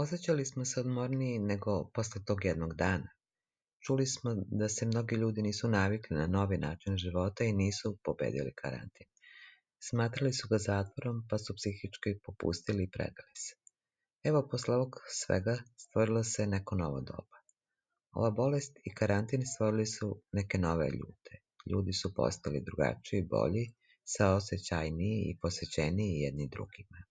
Osjećali smo se odmorniji nego posle tog jednog dana. Čuli smo da se mnogi ljudi nisu navikli na novi način života i nisu pobedili karantin. Smatrali su ga zatvorom, pa su psihički popustili i predali se. Evo, posle ovog svega stvorilo se neko novo doba. Ova bolest i karantin stvorili su neke nove ljude. Ljudi su postali drugačiji, bolji, saosećajniji i posvećeniji jedni drugima.